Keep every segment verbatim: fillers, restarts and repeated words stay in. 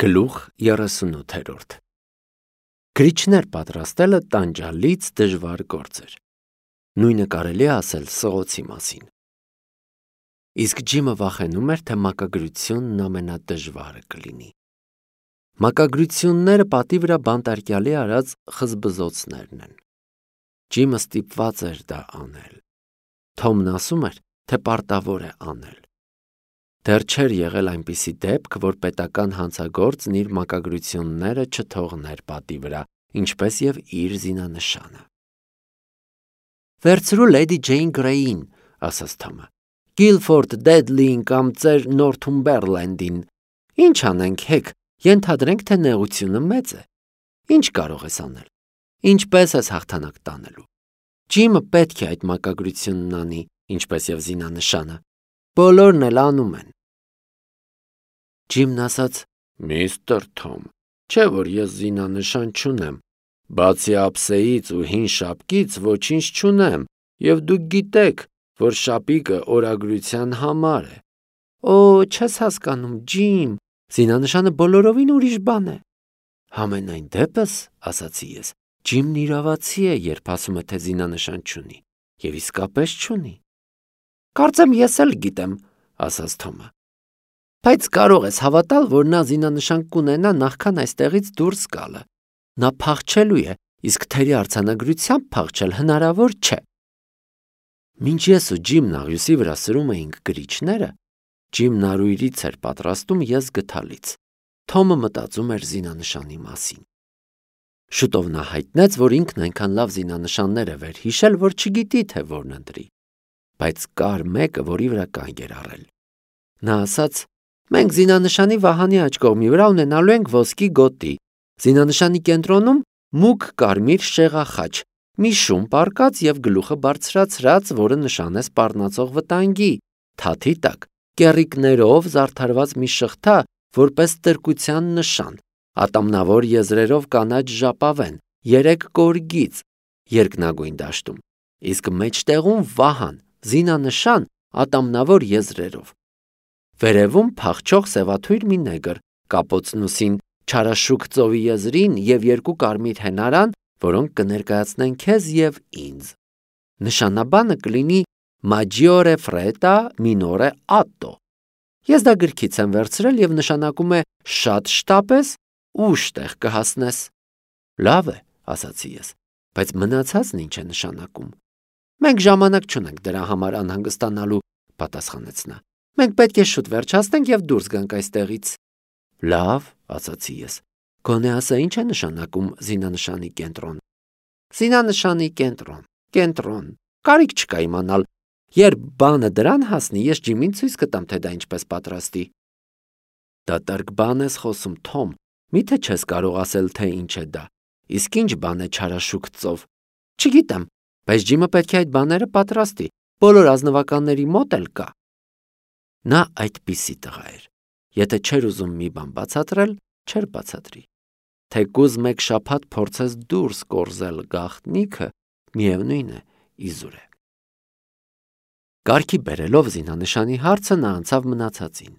Գլուխ երեսունութերորդ Գրիչներ պատրաստելը տանջալից դժվար գործ էր։ Նույնը կարելի է ասել սղոցի մասին։ Իսկ Ջիմը վախենում էր, թե մակագրությունն ամենադժվարը կլինի։ Մակագրությունները պատի վրա բանտարկյալի արած խզբզոցներն են։ Ջիմը ստիպված էր դա անել։ Թոմն ասում էր, թե պարտավոր է անել։ Դեռ չէր եղել այնպիսի դեպք, որ պետական հանցագործն իր մակագրությունները չթողներ պատի վրա, ինչպես և իր զինանշանը։ Վերցրու Լեյդի Ջեյն Գրեյին, ասաց Թոմը, Գիլֆորդ Դեդլիին կամ ծեր Նորթումբերլենդին։ Ինչ անենք, հեք, ենթադրենք, թե նեղությունը մեծ է։ Ինչ կարող ես անել։ Ինչպես ես հաղթանակ տանելու։ Ջիմը պետք է այդ մակագրությունն անի, ինչպես և զինանշանը։ Բոլորն էլ անում են։ Ջիմն ասաց. Միստր Թոմ, չէ որ ես զինանշան չունեմ, բացի ափսեից ու հին շապկից ոչինչ չունեմ, և դուք գիտեք, որ շապիկը օրագրության համար է։ Օ, չես հասկանում, Ջիմ, զինանշանը բոլորովին ուրիշ բան է։ Համենայն դեպս, ասացի ես, Ջիմն իրավացի է, երբ ասում է, թե զինանշան չունի, և իսկապես չունի։ Կարծեմ ես էլ գիտեմ, ասաց Թոմը։ Բայց կարող ես հավատալ, որ նա զինանշան կունենա նախքան այստեղից դուրս գալը։ Նա փախչելու է, իսկ թերի արձանագրությամբ փախչել հնարավոր չէ։ Մինչ ես ու Ջիմն աղյուսի վրա սրում էինք գրիչները, Ջիմն արույրից էր պատրաստում ես գթալից։ Թոմը մտածում էր զինանշանի մասին։ Շուտով նա հայտնեց, որ ինքն այնքան լավ զինանշաններ է վերհիշել, որ չգիտի, թե որն ընտրի։ Բայց կար մեկը, որի վրա կանգ էր առել։ Նա ասաց. Մենք զինանշանի վահանի աջ կողմի վրա ունենալու ենք ոսկի գոտի, զինանշանի կենտրոնում մուգ կարմիր շեղախաչ, մի շուն պառկած և գլուխը բարձրացրած, որը նշան է սպառնացող վտանգի, թաթի տակ, կեռիկներով զարդարված մի շղթա, որպես տրկության նշան, ատամնավոր եզրերով կանաչ ժապավեն, երեք կորգից, երկնագույն դաշտում, իսկ մեջտեղում վահան, զինանշան, ատամնավոր եզրերով։ Վերևում փախչող սևաթույր մի նեգր, կապոցնուսին, չարաշուք ծովի եզրին և երկու կարմիր հենարան, որոնք կներկայացնեն քեզ և ինձ։ Նշանաբանը կլինի Maggiore Fretta Minore Atto։ Ես դա գրքից եմ վերցրել և նշանակում է շատ շտապես, ուշ տեղ կհասնես։ Լավ է, ասացի ես, բայց մնացածն ինչ է նշանակում։ Մենք ժամանակ չունենք դրա համար անհանգստանալու, պատասխանեց նա։ Մենք պետք է շուտ վերջացնենք և դուրս գանք այստեղից։ Լավ, ասացի ես, գոնե ասա ինչ է նշանակում զինանշանի կենտրոն։ Զինանշանի կենտրոն, կենտրոն, կարիք չկա իմանալ, երբ բանը դրան հասնի, ես Ջիմին ցույց կտամ, թե դա ինչպես պատրաստի։ Դատարկ բան ես խոսում, Թոմ, միթե չես կարող ասել, թե ինչ է դա, իսկ ինչ բան է չարաշուք ծով։ Չգիտեմ, բայց Ջիմը պետք է այդ բաները պատրաստի, բոլոր ազնվականների մոտ էլ կա։ Նա այդպիսի տղա էր, եթե չէր ուզում մի բան բացատրել, չէր բացատրի։ Թեկուզ մեկ շաբաթ փորձես դուրս կորզել գաղտնիքը, միևնույն է, իզուր է։ Կարգի բերելով զինանշանի հարցը նա անցավ մնացածին։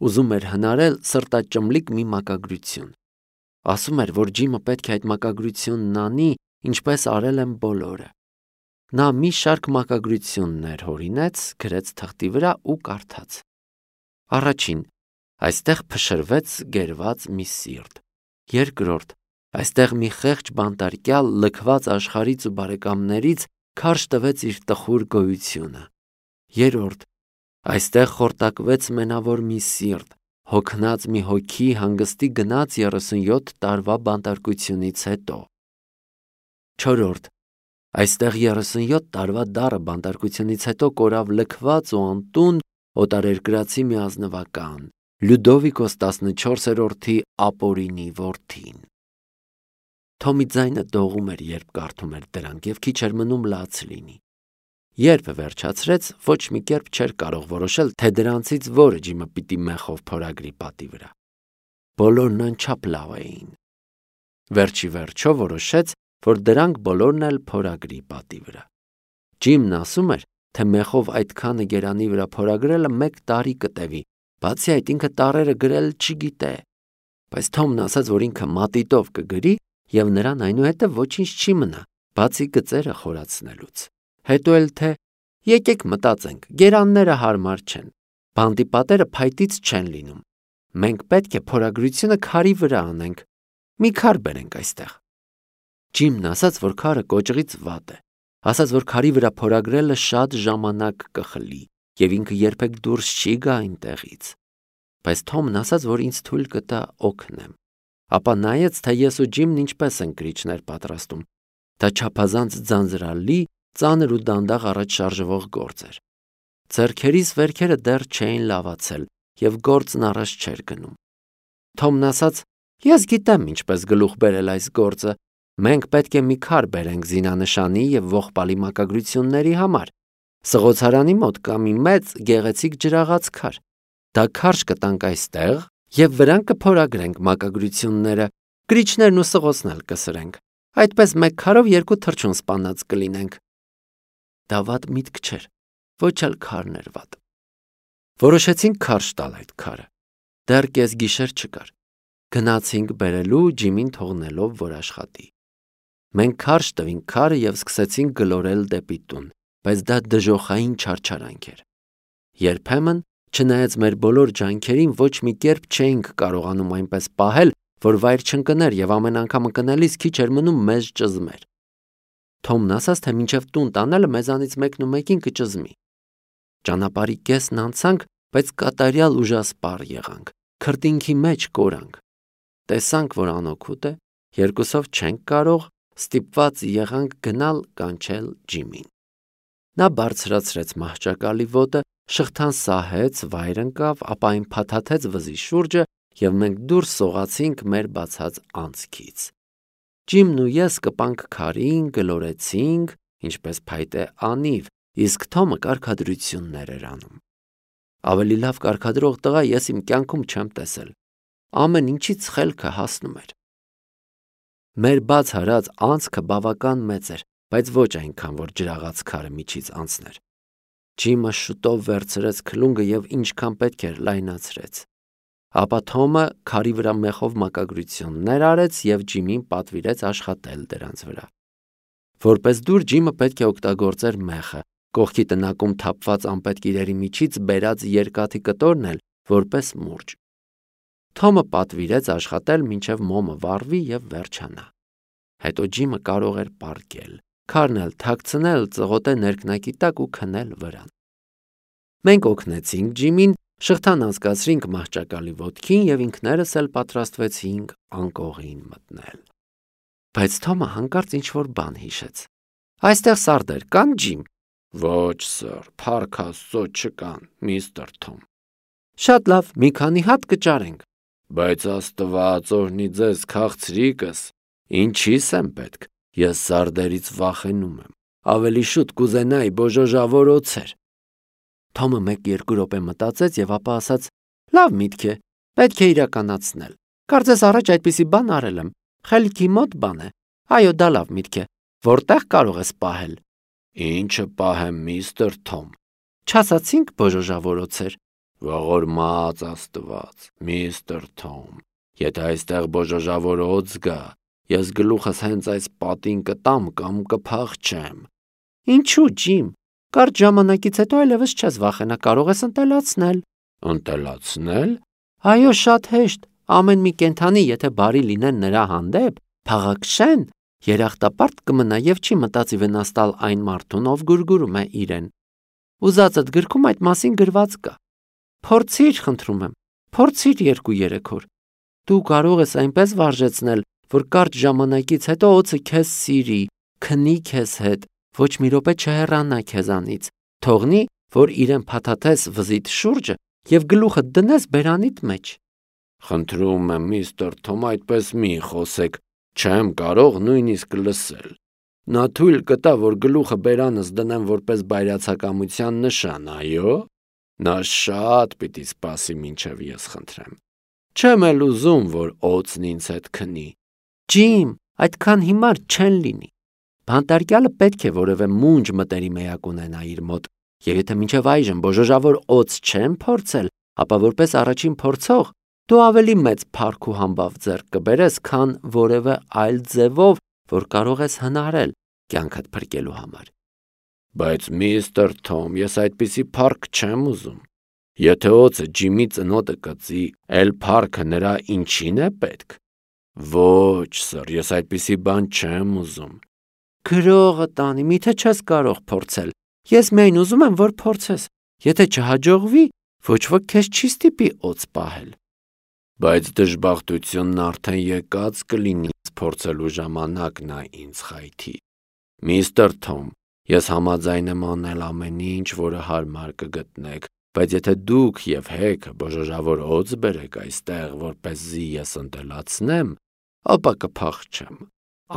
Ուզում էր հնարել սրտաճմլիկ մի մակագրություն։ Ասում էր, որ Ջիմը պետք է այդ մակագրությունն անի, ինչպես արել են բոլորը։ Նա մի շարք մակագրություններ հորինեց, գրեց թղթի վրա ու կարդաց։ Առաջին. այստեղ փշրվեց գերված մի սիրտ։ Երկրորդ. այստեղ մի խեղճ բանտարկյալ լքված աշխարհից ու բարեկամներից քարշ տվեց իր տխուր գոյությունը։ Երրորդ. այստեղ խորտակվեց մենավոր մի սիրտ, հոգնած մի հոգի հանգստի գնաց երեսունյոթ տարվա բանտարկությունից հետո։ Չորրորդ. այստեղ երեսունյոթ տարվա դառը բանտարկությունից հետո կորավ լքված ու անտուն օտարերկրացի մի ազնվական, Լյուդովիկոս տասնչորսերորդի ապօրինի որդին։ Թոմի ձայնը դողում էր, երբ կարդում էր դրանք, և քիչ էր մնում լաց լինի։ Երբ վերջացրեց, ոչ մի կերպ չէր կարող որոշել, թե դրանցից որը Ջիմը պիտի մեխով փորագրի պատի վրա։ Բոլորն անչափ լավ էին։ Վերջի վերջո որոշեց, որ դրանք բոլորն էլ փորագրի պատի վրա։ Ջիմն ասում էր, թե մեխով այդքանը գերանի վրա փորագրելը մեկ տարի կտևի, բացի այդ ինքը տառերը գրել չգիտե։ Բայց Թոմն ասաց, որ ինքը մատիտով կգրի եւ նրան այնուհետև ոչինչ չի մնա, բացի գծերը խորացնելուց։ Հետո էլ թե եկեք մտածենք, գերանները հարմար չեն, բանտի պատերը փայտից չեն լինում։ Մենք պետք է փորագրությունը քարի վրա անենք, մի քար բերենք այստեղ։ Ջիմն ասաց, որ քարը կոճղից վատ է, ասաց, որ քարի վրա փորագրելը շատ ժամանակ կխլի եւ ինքը երբեք դուրս չի գա այնտեղից։ Բայց Թոմն ասաց, որ ինձ թույլ կտա օգնեմ։ Ապա նայեց, թե ես ու Ջիմն ինչպես ենք գրիչներ պատրաստում։ Դա չափազանց ձանձրալի, ծանր ու դանդաղ առաջ շարժվող գործ էր։ Ձեռքերիս վերքերը դեռ չէին լավացել եւ գործն առաջ չէր գնում։ Թոմն ասաց. «Ես գիտեմ ինչպես գլուխ բերել այս գործը։ Մենք պետք է մի քար բերենք զինանշանի եւ ողբալի մակագրությունների համար։ Սղոցարանի մոտ կա մի մեծ գեղեցիկ ջրաղաց քար։ Դա քարշ կտանք այստեղ եւ վրան կփորագրենք մակագրությունները, գրիչներն ու սղոցն էլ կսրենք։ Այդպես մեկ քարով երկու թռչուն սպանած կլինենք»։ Դա վատ միտք չէր, ոչ էլ քարն էր վատ։ Որոշեցինք քարշ տալ այդ քարը։ Դեռ կես գիշեր չկար։ Գնացինք բերելու, Ջիմին թողնելով, որ աշխատի։ Մենք քարշ տվինք քարը եւ սկսեցինք գլորել դեպի տուն, բայց դա դժոխային չարչարանք էր։ Երբեմն, չնայած մեր բոլոր ջանքերին, ոչ մի կերպ չէինք կարողանում այնպես պահել, որ վայր չընկներ եւ ամեն անգամ ընկնելիս քիչ էր մնում մեզ ճզմեր։ Թոմն ասաց, թե մինչև տուն տանելը մեզանից մեկն ու մեկին կճզմի։ Ճանապարհի կեսն անցանք, բայց կատարյալ ուժասպառ եղանք, քրտինքի մեջ կորանք։ Տեսանք, որ անօգուտ է, երկուսով չենք կարող, ստիպված եղանք գնալ կանչել Ջիմին։ Նա բարձրացրեց մահճակալի ոտը, շղթան սահեց, վայր ընկավ, ապա այն փաթաթեց վզի շուրջը եւ մենք դուրս սողացինք մեր բացած անցքից։ Ջիմն ու ես կպանք քարին, գլորեցինք, ինչպես փայտե անիվ, իսկ Թոմը կարգադրություններ էր անում։ Ավելի լավ կարգադրող տղա ես իմ կյանքում չեմ տեսել։ Ամեն ինչից խելքը հասնում էր։ Մեր բաց հարած անցքը բավական մեծ էր, բայց ոչ այնքան, որ ջրաղաց քարը միջից անցներ։ Ջիմը շուտով վերցրեց քլունգը եւ ինչքան պետք էր լայնացրեց։ Ապա Թոմը քարի վրա մեխով մակագրություններ արեց եւ Ջիմին պատվիրեց աշխատել դրանց վրա։ Որպես դուր Ջիմը պետք է օգտագործեր մեխը, կողքի տնակում թափված անպետք իրերի միջից բերած երկաթի կտորն էլ որպես մուրջ։ Թոմը պատվիրեց աշխատել մինչև մոմը վառվի եւ վերջանա։ Հետո Ջիմը կարող էր պառկել, քարն էլ թաքցնել ծղոտե ներքնակի տակ ու քնել վրան։ Մենք օգնեցինք Ջիմին, շղթան անցկացրինք մահճակալի ոտքին եւ ինքներս էլ պատրաստվեցինք անկողին մտնել։ Բայց Թոմը հանկարծ ինչ-որ բան հիշեց։ Այստեղ սարդեր կան, Ջիմ։ Ոչ, սըր, փառք Աստծո չկան, միստր Թոմ։ Շատ լավ, մի քանի հատ կճարենք։ Բայց Աստված օրհնի ձեզ քաղցրիկս, ինչի՞ս եմ պետք։ Ես սարդերից վախենում եմ։ Ավելի շուտ կուզենայի բոժոժավոր օձեր։ Թոմը մեկ-երկու րոպե մտածեց եւ ապա ասաց. Լավ միտք է, պետք է իրականացնել։ Կարծես առաջ այդպիսի բան արել եմ։ Խելքի մոտ բան է։ Այո, դա լավ միտք է։ Որտեղ կարող ես պահել։ Ինչը պահեմ, միստր Թոմ։ Չասացինք բոժոժավոր օձեր։ Ողորմած Աստված, միստր Թոմ, եթե այստեղ բոժոժավոր օձ գա, ես գլուխս հենց այս պատին կտամ կամ կփախչեմ։ Ինչու, Ջիմ, կարճ ժամանակից հետո այլևս չես վախենա, կարող ես ընտելացնել։ Ընտելացնել։ Այո, շատ հեշտ, ամեն մի կենդանի, եթե բարի լինեն նրա հանդեպ, փաղաքշեն, երախտապարտ կմնա եւ չի մտածի վնաստալ այն մարդուն, ով գուրգուրում է իրեն։ Ուզածդ գրքում այդ մասին գրված կա։ Փորձիր, խնդրում եմ, փորձիր երկու-երեք օր։ Դու կարող ես այնպես վարժեցնել, որ կարճ ժամանակից հետո օձը քեզ սիրի, քնի քեզ հետ, ոչ մի րոպե չհեռանա քեզանից, թողնի, որ իրեն փաթաթես վզիդ շուրջը եւ գլուխը դնես բերանիդ մեջ։ Խնդրում եմ, միստր Թոմ, այդպես մի խոսեք, չեմ կարող նույնիսկ լսել։ Նա թույլ կտա, որ գլուխը բերանս դնեմ որպես բայրացակամության նշան, այո։ Նա շատ պիտի սպասի, մինչև ես խնդրեմ։ Չեմ էլ ուզում, որ օձն ինձ հետ քնի։ Ջիմ, այդքան հիմար չեն լինի։ Բանտարկյալը պետք է որևէ մունջ մտերիմ էակ ունենա իր մոտ, եւ եթե մինչև այժմ բոժոժավոր օձ չեմ փորձել, ապա որպես առաջին փորձող Դու ավելի մեծ փառք ու համբավ ձեռք կբերես, քան որևէ այլ ձևով, որ կարող ես հնարել կյանքդ փրկելու համար։ Բայց միստր Թոմ, ես այդպիսի փառք չեմ ուզում։ Եթե օձը Ջիմի ծնոտը կծի, էլ փառքը նրա ինչին է պետք։ Ոչ, սըր, ես այդպիսի բան չեմ ուզում։ Գրողը տանի, միթե չես կարող փորձել։ Ես միայն ուզում եմ, որ փորձես։ Եթե չհաջողվի, ոչ ոք քեզ չի ստիպի օձ պահել։ Բայց դժբախտությունն արդեն եկած կլինի, փորձելու ժամանակ նա ինձ խայթի։ Միստր Թոմ, ես համաձայն եմ անել ամեն ինչ, որը հարմար կգտնեք, բայց եթե դուք եւ Հեքը բոժոժավոր օձ բերեք այստեղ, որպեսզի ես ընտելացնեմ, ապա կփախչեմ,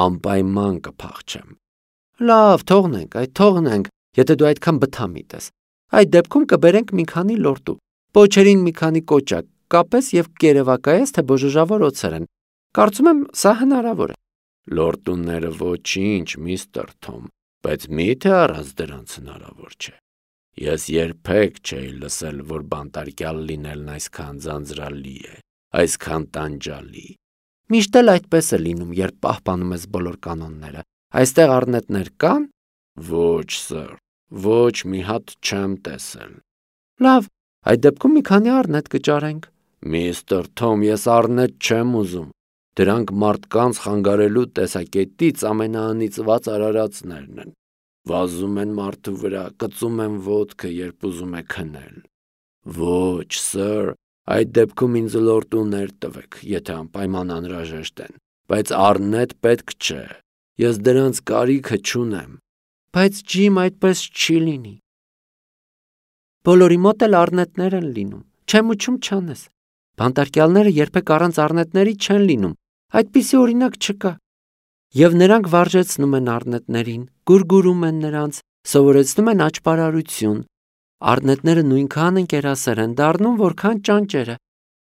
անպայման կփախչեմ։ Լավ, թողնենք, այդ թողնենք, եթե դու այդքան բթամիտ ես։ Այդ դեպքում կբերենք մի քանի լորտու, պոչերին մի քանի կոճակ, կապես եւ կերևակայես, թե բոժոժավոր օձեր են։ Կարծում եմ, սա հնարավոր է։ Լորտուները ոչինչ, միստր Թոմ, բայց միթե առանց դրանց հնարավոր չէ։ Ես երբեք չէի լսել, որ բանտարկյալ լինելն այսքան ձանձրալի է, այսքան տանջալի։ Միշտ էլ այդպես է լինում, երբ պահպանում ես բոլոր կանոնները։ Այստեղ առնետներ կան։ Ոչ, սըր, ոչ մի հատ չեմ տեսել։ Լավ, այդ դեպքում մի քանի առնետ կճարենք։ Միստր Թոմ, ես առնետ չեմ ուզում։ Դրանք մարդկանց խանգարելու տեսակետից ամենաանիծված արարածներն են։ Վազում են մարդու վրա, կծում են ոտքը, երբ ուզում է քնել։ Ոչ, սըր, այդ դեպքում ինձ լորտուներ տվեք, եթե անպայման անհրաժեշտ են, բայց առնետ պետք չէ։ Ես դրանց կարիքը չունեմ։ Բայց Ջիմ, այդպես չի լինի։ Բոլորի մոտ էլ առնետներ են լինում, չեմ ուչում չանես։ Բանտարկյալները երբեք առանց առնետների չեն լինում, այդպիսի օրինակ չկա։ Եվ նրանք վարժեցնում են առնետներին, գուրգուրում են նրանց, սովորեցնում են աճպարարություն։ Առնետները նույնքան ընկերասեր են դառնում, որքան ճանճերը։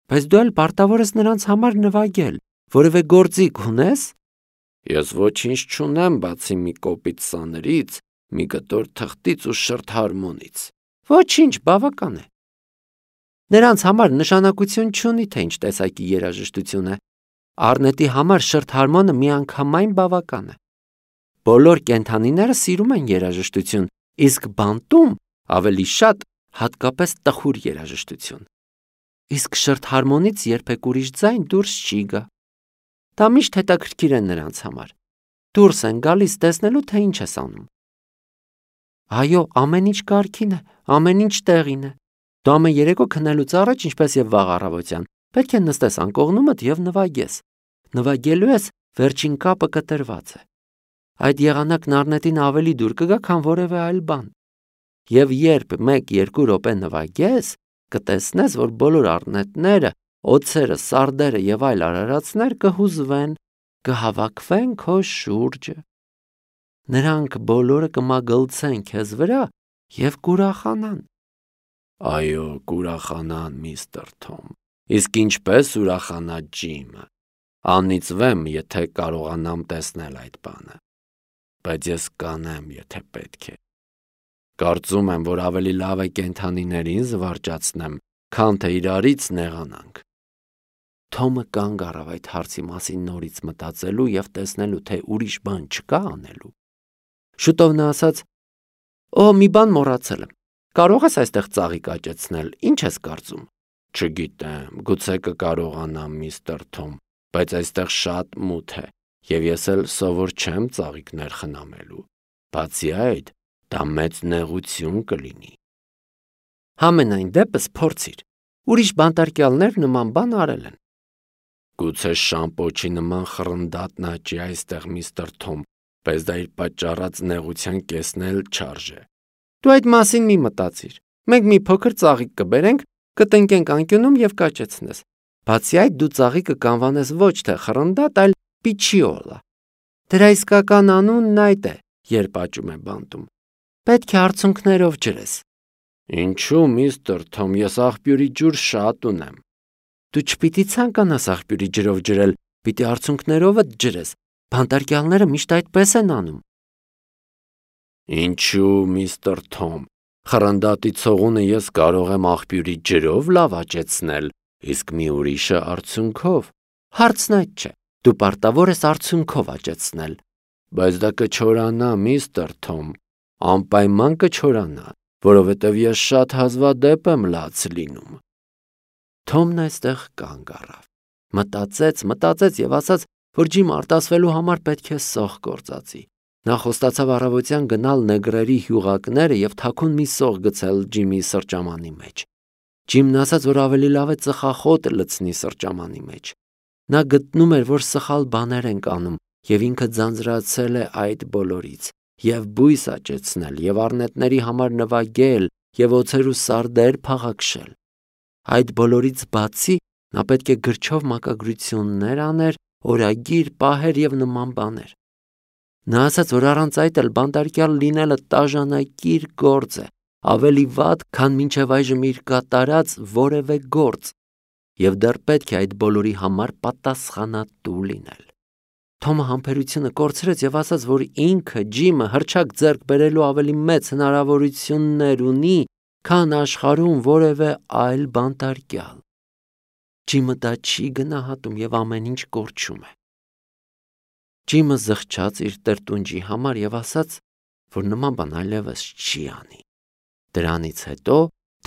Բայց դու էլ պարտավոր ես նրանց համար նվագել, որևէ գործիք ունես։ Ես ոչինչ չունեմ, բացի մի կոպիտ սաներից, մի կտոր թղթից ու շրթ հարմոնից։ Ոչինչ, բավական է։ Նրանց համար նշանակություն չունի, թե ինչ տեսակի երաժշտություն է։ Առնետի համար շրթ հարմոնը միանգամայն բավական է։ Բոլոր կենդանիները սիրում են երաժշտություն, իսկ բանտում ավելի շատ հատկապես տխուր երաժշտություն։ Իսկ շրթ հարմոնից երբեք ուրիշ ձայն դուրս չի գա։ Դա միշտ հետաքրքիր է նրանց համար։ Դուրս են գալիս տեսնելու, թե ինչ ես անում։ Այո, ամեն ինչ կարգին է, ամեն ինչ տեղին է։ Դու ամեն երեկո քնելուց առաջ, ինչպես եւ վաղ առավոտյան, պետք է նստես անկողնումդ եւ նվագես։ Նվագելու ես, վերջին կապը կտրված է։ Այդ եղանակն առնետին ավելի դուր կգա, քան որևէ այլ բան։ Եվ երբ մեկ-երկու րոպե նվագես, կտեսնես, որ բոլոր առնետները, օձերը, սարդերը եւ այլ արարածներ կհուզվեն, կհավաքվեն քո շուրջը։ Նրանք բոլորը կմագլցեն քեզ վրա եւ կուրախանան։ Այո, կուրախանան, միստր Թոմ։ Իսկ ինչպես ուրախանա Ջիմը։ Անիծվեմ, եթե կարողանամ տեսնել այդ բանը։ Բայց ես կանեմ, եթե պետք է։ Կարծում եմ, որ ավելի լավ է կենդանիներին զվարճացնեմ, քան թե իրարից նեղանանք։ Թոմը կանգ առավ այդ հարցի մասին նորից մտածելու եւ տեսնելու, թե ուրիշ բան չկա անելու։ Շուտով նա ասաց. «Օ, մի բան մոռացել եմ։ Կարող ես այստեղ ծաղիկ աճեցնել, ինչ ես կարծում»։ Չգիտեմ, գուցե կկարողանամ, միստր Թոմ, բայց այստեղ շատ մութ է, եւ ես էլ սովոր չեմ ծաղիկներ խնամելու։ Բացի այդ, դա մեծ նեղություն կլինի։ Համենայն դեպս փորձիր։ Ուրիշ բանտարկյալներ նման բան արել են։ Գուցե շամպոչի նման խռնդատ աճի այստեղ, միստր Թոմ, բայց դա իր պատճառած նեղության կեսն էլ չարժե։ Դու այդ մասին մի մտածիր։ Մենք մի փոքր ծաղիկ կբերենք, կտնկենք անկյունում եւ կաճեցնես։ Բացի այդ, դու ծաղիկը կանվանես ոչ թե խռնդատ, այլ պիչիոլա։ Դրա իսկական անունն այդ է, երբ աճում է բանտում։ Պետք է արցունքներով ջրես։ Ինչու, միստր Թոմ, ես աղբյուրի ջուր շատ ունեմ։ Դու չպիտի ցանկանաս աղբյուրի ջրով ջրել, պիտի արցունքներովդ ջրես։ Բանտարկյալները միշտ այդպես են անում։ Ինչու, միստր Թոմ, խռնդատի ցողունը ես կարող եմ աղբյուրի ջրով լավ աճեցնել, Իսկ մի ուրիշը արցունքով։ Հարցն այդ չէ, դու պարտավոր ես արցունքով աճեցնել։ Բայց դա կչորանա, միստր Թոմ, անպայման կչորանա, որովհետև ես շատ հազվադեպ եմ լաց լինում։ Թոմն այստեղ կանգ առավ, մտածեց, մտածեց և ասաց, որ Ջիմը արտասվելու համար պետք է սող գործածի։ Նա խոստացավ առավոտյան գնալ նեգրերի հյուղակները և թաքուն մի սող գցել Ջիմի սրճամանի մեջ։ Ջիմն ասաց, որ ավելի լավ է ծխախոտ լցնի սրճամանի մեջ։ Նա գտնում էր, որ սխալ բաներ ենք անում, և ինքը ձանձրացել է այդ բոլորից, և բույս աճեցնել, և առնետների համար նվագել, և օձեր ու սարդեր փաղաքշել։ Այդ բոլորից բացի նա պետք է գրչով մակագրություններ աներ, օրագիր պահեր և նման բաներ։ Նա ասաց, որ առանց այդ էլ բանտարկյալ լինելը տաժանակիր գործ է, ավելի վատ, քան մինչև այժմ իր կատարած որևէ գործ, և դեռ պետք է այդ բոլորի համար պատասխանատու լինել։ Թոմը համբերությունը կորցրեց և ասաց, որ ինքը Ջիմը հռչակ ձեռք բերելու ավելի մեծ հնարավորություններ ունի, քան աշխարհում որևէ այլ բանտարկյալ։ Ջիմը դա չի գնահատում և ամեն ինչ կորչում է։ Ջիմը զղջաց իր տրտունջի համար և ասաց, որ նման բան այլևս չի անի։ Դրանից հետո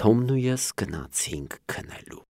Թոմն ու ես գնացինք քնելու։